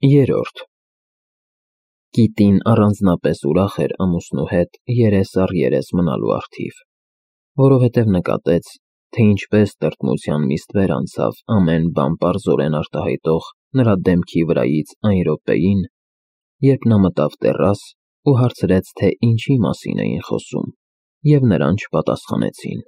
Երրորդ Կիտին առանձնապես ուրախ էր ամուսնու հետ երես առ երես մնալու առթիվ, որովհետև նկատեց, թե ինչպես տրտմության մի ստվեր անցավ ամեն բան պարզորեն արտահայտող նրա դեմքի վրայից այն րոպեին, երբ նա մտավ տեռաս ու հարցրեց, թե ինչի մասին էին խոսում, և նրան չպատասխանեցին։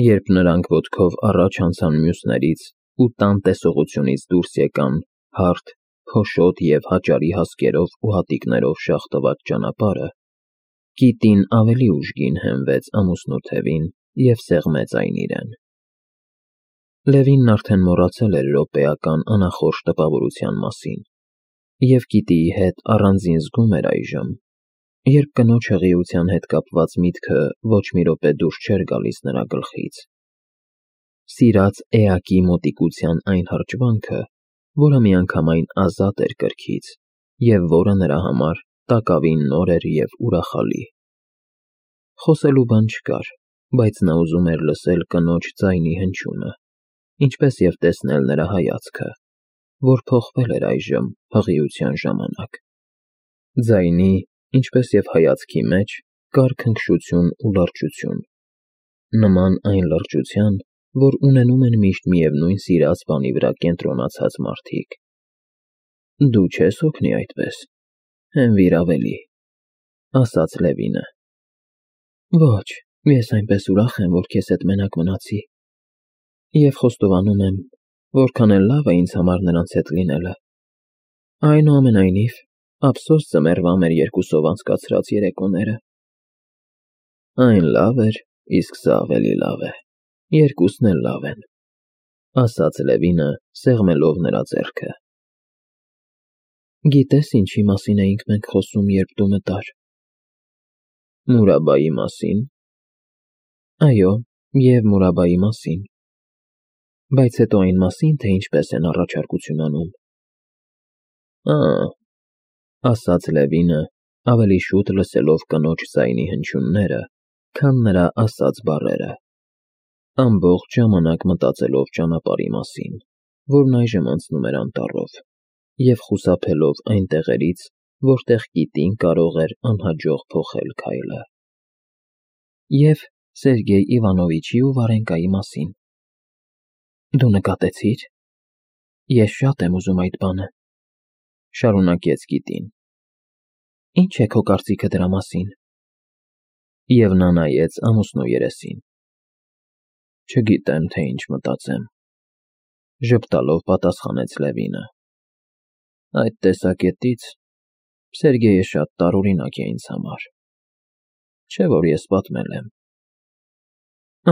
Երբ նրանք ոտքով առաջ անցան մյուսներից ու տան տեսողությունից դուրս եկան հարթ, փոշոտ և հաճարի հասկերով ու հատիկներով շաղտված ճանապարհը, Կիտին ավելի ուժգին հենվեց ամուսնու թևին և սեղմեց այն իրեն։ Լևինն արդեն մոռացել էր րոպեական անախորժ տպավորության մասին և Կիտիի հետ առանձին զգում էր այժմ, երբ կնոջ հղիության հետ կապված միտքը ոչ մի րոպե դուրս չէր գալիս նրա գլխից։ Սիրած էակի մոտիկության այն հրճվանքը, որը միանգամայն ազատ էր կրքից և որը նրա համար տակավին նոր էր և ուրախալի։ Խոսելու բան չկար, բայց նա ուզում էր լսել կնոջ ձայնի հնչյունը, ինչպես և տեսնել նրա հայացքը, որ փոխվել էր այժմ հղիության ժամանակ։ Ձայնի, ինչպես և հայացքի մեջ կար քնքշություն ու լրջություն, նման այն լրջության, որ ունենում են միշտ միևնույն սիրած բանի վրա կենտրոնացած մարդիկ։ Դու չես հոգնի այդպես, հենվիր ավելի, ասաց Լևինը։ Ոչ, ես այնպես ուրախ եմ, որ քեզ հետ մենակ մնացի, և խոստովանում եմ, որքան էլ լավ է ինձ համար նրանց հետ լինելը։ Այնուամենայնիվ, ափսոս ձմեռվա մեր երկուսով անցկացրած երեկոները։ Այն լավ էր, իսկ սա ավելի լավ է, երկուսն էլ լավ են, ասաց Լևինը, սեղմելով նրա ձեռքը։ Գիտես ինչի մասին էինք մենք խոսում, երբ դու մտար։ Մուրաբայի մասին։ Այո, և Մուրաբայի մասին, բայց հետո այն մասին, թե ինչպես են առաջարկություն անում։ Ասաց Լևինը, ավելի շուտ լսելով կնոջ ձայնի հնչյունները, քան նրա ասած բառերը, ամբողջ ժամանակ մտածելով ճանապարհի մասին, որն այժմ անցնում էր անտառով, և խուսափելով այն տեղերից, որտեղ Կիտին կարող էր անհաջող փոխել քայլը։ Եվ Սերգեյ Իվանովիչի ու Վարենկայի մասին։ Դու նկատեցի՞ր։ Ես շատ եմ ուզում այդ բանը, շարունակեց Կիտին։ Ինչ է քո կարծիքը դրա մասին։ Եվ նա նայեց ամուսնու երեսին։ Չգիտեմ, թե ինչ մտածեմ, ժպտալով պատասխանեց Լևինը։ Այդ տեսակետից Սերգեյը շատ տարօրինակ է ինձ համար, չէ՞ որ ես պատմել եմ։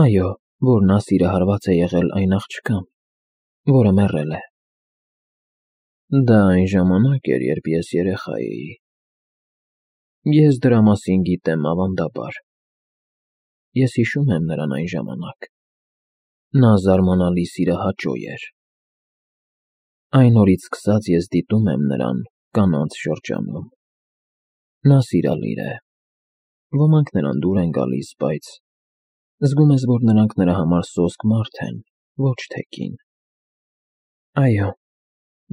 Այո, որ նա սիրահարված է եղել այն աղջկան, որը մեռել է։ Դա այն ժամանակ էր, երբ ես երեխա էի։ Ես դրա մասին գիտեմ ավանդաբար։ Ես հիշում եմ նրան այն ժամանակ։ Նա զարմանալի սիրահաճո էր։ Այն օրից սկսած ես դիտում եմ նրան կանանց շրջանում։ Նա սիրալիր է։ Ոմանք նրան դուր են գալիս, բայց զգում ես, որ նրանք նրա համար սոսկ մարդ են, ոչ թե կին։ Այո,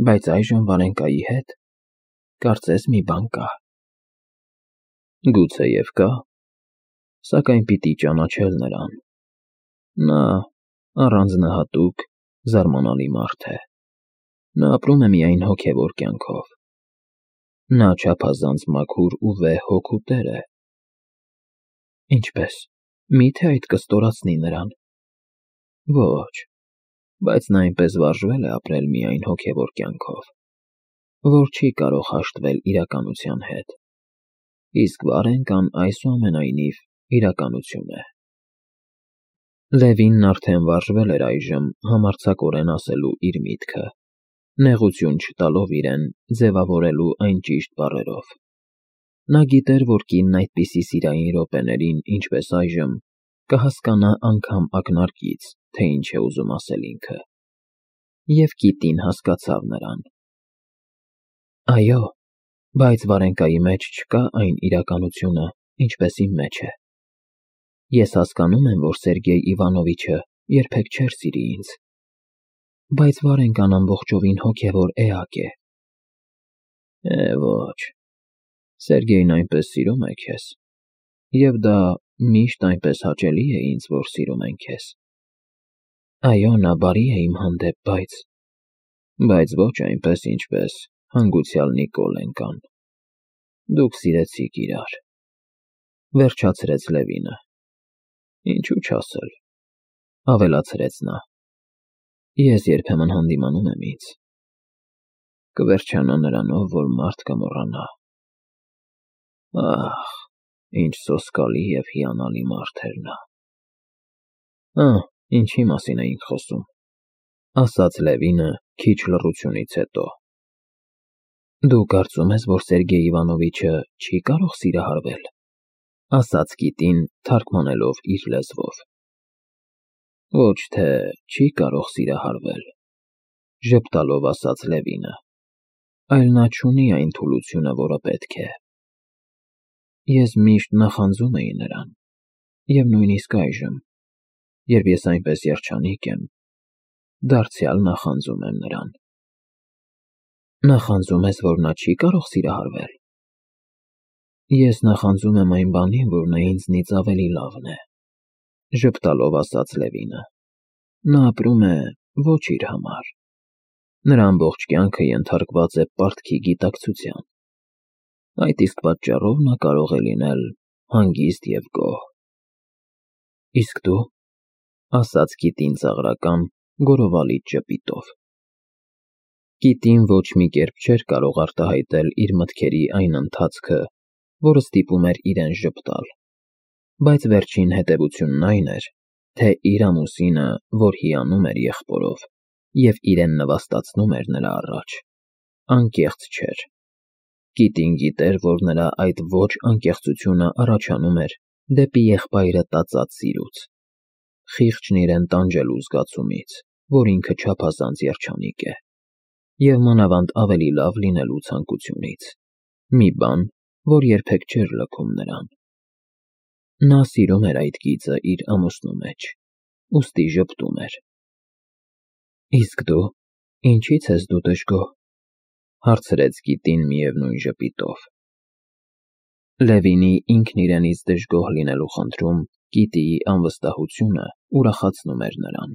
բայց այժմ Վարենկայի հետ կարծես մի բան կա։ Գուցեև կա, սակայն պիտի ճանաչել նրան։ Նա առանձնահատուկ, զարմանալի մարդ է։ Նա ապրում է միայն հոգևոր կյանքով։ Նա չափազանց մաքուր ու վեհ հոգու տեր է։ Ինչպե՞ս, մի՞թե այդ կստորացնի նրան։ Ոչ, բայց նա այնպես վարժվել է ապրել միայն հոգևոր կյանքով, որ չի կարող հաշտվել իրականության հետ, իսկ Վարենկան այսուամենայնիվ իրականություն է։ Լևինն արդեն վարժվել էր այժմ համարձակորեն ասելու իր միտքը, նեղություն չտալով իրեն ձևավորելու այն ճիշտ բառերով։ Նա գիտեր, որ կինն այդպիսի սիրային րոպեներին, ինչպես այժմ, կհասկանա անգամ ակնարկից, թե ինչ է ուզում ասել ինքը։ Եվ Կիտին հասկացավ նրան։ Այո, բայց Վարենկայի մեջ չկա այն իրականությունը, ինչպես իմ մեջ է։ Ես հասկանում եմ, որ Սերգեյ Իվանովիչը երբեք չէր սիրի ինձ, բայց Վարենկան ամբողջովին հոգևոր էակ է, Ոչ, Սերգեյն այնպես սիրում է քեզ, և դա միշտ այնպես հաճելի է ինձ, որ սիրում են քեզ։ Այո, նա բարի է իմ հանդեպ, բայց ոչ այնպես, ինչպես հանգուցյալ Նիկոլեն։ Դուք սիրեցիք իրար, վերջացրեց Լևինը։ Ինչու չասել, ավելացրեց նա։ Ես երբեմն հանդիմանում եմ ինձ։ Կվերջանա նրանով, որ մարդ կմոռանա։ Ահ, ինչ սոսկալի և հիանալի մարդ էր նա։ Ինչի մասին էինք խոսում, ասաց Լևինը քիչ լռությունից հետո։ Դու կարծում ես, որ Սերգեյ Իվանովիչը չի կարող սիրահարվել, ասաց Կիտին, թարգմանելով իր լեզվով։ Ոչ թե չի կարող սիրահարվել, ժպտալով ասաց Լևինը, այլ նա չունի այն թուլությունը, որը պետք է։ Ես միշտ նախանձում էի նրան, և նույնիսկ այժմ, երբ ես այնպես երջանիկ եմ, դարձյալ նախանձում եմ նրան։ Նախանձում ես, որ նա չի կարող սիրահարվել։ Ես նախանձում եմ այն բանին, որ նա ինձնից ավելի լավն է, ժպտալով ասաց Լևինը։ Նա ապրում է ոչ իր համար։ Նրա ամբողջ կյանքը ենթարկված է պարտքի գիտակցության։ Այդ իսկ պատճառով նա կարող է լինել հանգիստ և գոհ։ Իսկ դու, ասաց Կիտին ծաղրական, գոռովալից ժպիտով։ Կիտին ոչ մի կերպ չէր կարող արտահայտել իր մտքերի այն ընթացքը, որը ստիպում էր իրեն ժպտալ, բայց վերջին հետևությունն այն էր, թե իր ամուսինը, որ հիանում էր եղբորով և իրեն նվաստացնում էր նրա առաջ, անկեղծ չէր։ Կիտին գիտեր, որ նրա այդ ոչ անկեղծությունը առաջանում էր դեպի եղբայրը տածած սիրուց, խիղճն իրեն տանջելու զգացումից, որ ինքը չափազանց երջանիկ է, և մանավանդ ավելի լավ լինելու ցանկությունից, մի բան, որ երբեք չէր լքում նրան։ Նա սիրում էր այդ գիծը իր ամուսնու մեջ, ուստի ժպտում էր։ Իսկ դու, ինչի՞ց ես դու դժգոհ, հարցրեց Կիտին միևնույն ժպիտով։ Լևինի ինքն իրենից դժգոհ լինելու խնդրում Կիտիի անվստահությունը ուրախացնում էր նրան,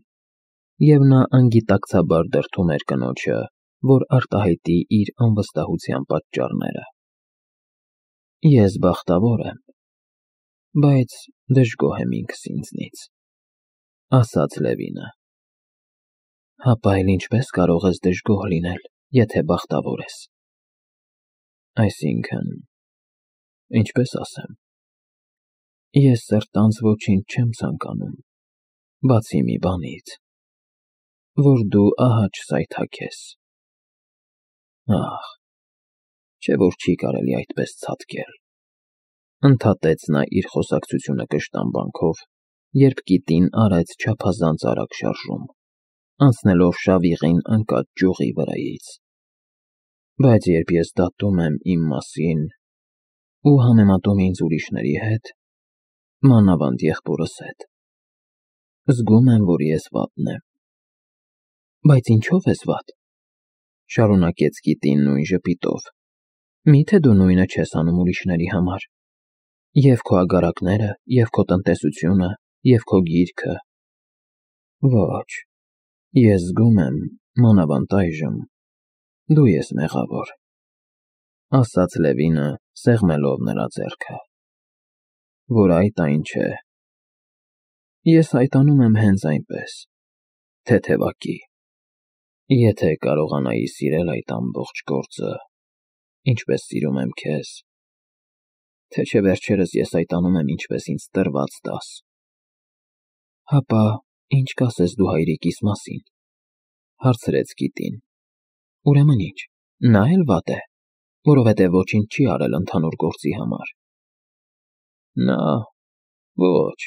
և նա անգիտակցաբար դրդում էր կնոջը, որ արտահայտի իր անվստահության պատճառները։ Ես բախտավոր եմ, բայց դժգոհ եմ ինքս ինձնից, ասաց Լևինը։ Հապա էլ ինչպես կարող ես դժգոհ լինել, եթե բախտավոր ես։ Այսինքն, ինչպես ասեմ, ես սրտանց ոչինչ չեմ ցանկանում, բացի մի բանից, որ դու ահա չսայթաքես։ Ահ, չէ՞ որ չի կարելի այդպես ցատկել, ընդհատեց նա իր խոսակցությունը կշտամբանքով, երբ Կիտին արեց չափազանց արագ շարժում, անցնելով շավիղին ընկած ճյուղի վրայից։ Բայց երբ ես դատում եմ իմ մասին ու համեմատում ինձ ուրիշների հետ, մանավանդ եղբորս հետ, զգում եմ, որ ես վատն եմ։ Բայց ինչո՞վ ես վատ, շարունակեց Կիտին նույն ժպիտով, միթե դու նույնը չես անում ուրիշների համար, և քո ագարակները, և քո տնտեսությունը, և քո գիրքը։ Ոչ, ես զգում եմ, մանավանդ այժմ, դու ես մեղավոր, ասաց Լևինը, սեղմելով նրա ձեռքը։ Որ այդ այն չէ։ Ես հայտանում եմ հենց այնպես, թեթևակի։ Եթե կարողանայի սիրել այդ ամբողջ գործը, ինչպես սիրում եմ քեզ, թե չէ վերջերս ես այդ անում եմ ինչպես ինձ տրված տաս։ Հապա ինչ կասես դու հայրիկիս մասին, հարցրեց Կիտին։ Ուրեմն ինչ, նա էլ վատ է, որովհետև ոչինչ չի արել ընդհանուր գործի համար։ Նա, ոչ,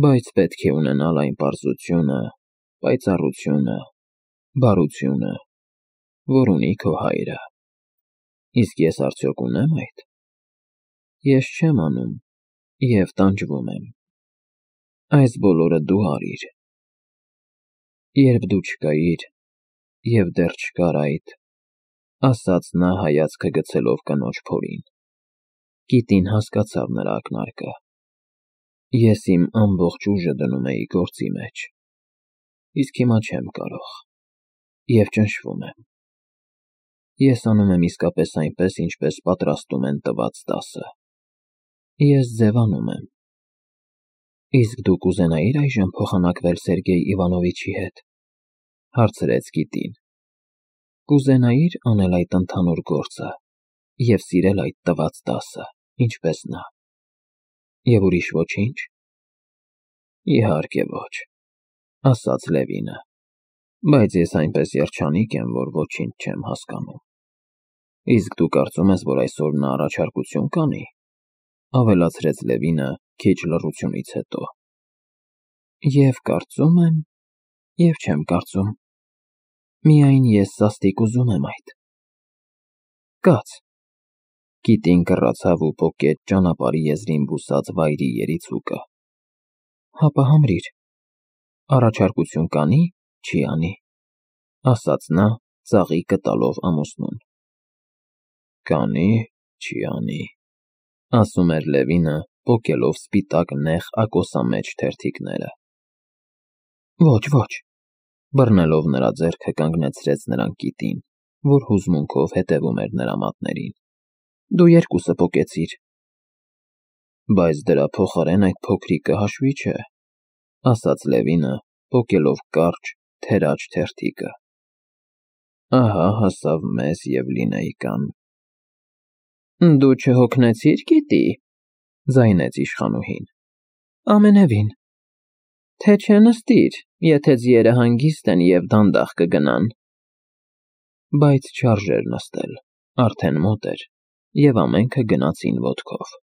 բայց պետք է ունենալ այն պարզությունը, պայծառությունը, բարությունը, որ ունի քո հայրը։ Իսկ ես արդյոք ունե՞մ այդ։ Ես չեմ անում և տանջվում եմ։ Այս բոլորը դու արիր։ Երբ դու չկայիր, և դեռ չկար այդ, ասաց նա հայացքը գցելով կնոջ փորին։ Կիտին հասկացավ նրա ակնարկը։ Ես իմ ամբողջ ուժը դնում էի գործի մեջ, իսկ հիմա չեմ կարող, և ճնշվում եմ։ Ես անում եմ իսկապես այնպես, ինչպես պատրաստում են տված դասը։ Ես ձևանում եմ։ Իսկ դու կուզենայի՞ր այժմ փոխանակվել Սերգեյ Իվանովիչի հետ, հարցրեց կիտին։ Կուզենայի՞ր անել այդ ընդհանուր գործը և սիրել այդ տված դասը, ինչպես նա։ Եվ ուրիշ ոչինչ։ Իհարկե ոչ, ասաց Լևինը, բայց ես այնպես երջանիկ եմ, որ ոչինչ չեմ հասկանում։ Իսկ դու կարծում ես, որ այսօր նա առաջարկություն կանի, ավելացրեց Լևինը քիչ լռությունից հետո։ Եվ կարծում եմ, և չեմ կարծում։ Միայն ես սաստիկ ուզում եմ այդ։ Կաց։ Կիտին կռացավ ու պոկեց ճանապարհի եզրին բուսած վայրի երիցուկը։ Հապա համրիր։ Առաջարկություն կանի, չի անի, ասաց նա, ծաղիկը տալով ամուսնուն։ Կանի, չի անի, ասում էր Լևինը, պոկելով սպիտակ նեղ ակոսամեջ թերթիկները։ Ոչ, ոչ, բռնելով նրա ձեռքը կանգնեցրեց նրան կիտին, որ հուզմունքով հետևում էր նրա մատներին։ Դու երկուսը պոկեցիր։ Բայց դրա փոխարեն այդ փոքրիկը հաշվի չէ, ասաց Լևինը, պոկելով կարճ, թերաջ թերթիկը։ Ահա հասավ մեզ և Լինեյկան։ Դու չհոգնեցիր, գիտի, ձայնեց իշխանուհին։ Ամենևին։ Թե չէ նստիր, եթե ձիերը հանգիստ են և դանդաղ կգնան։ Բայց չարժեր նստել, արդեն մոտ էր, և ամենքը գնացին ոտքով։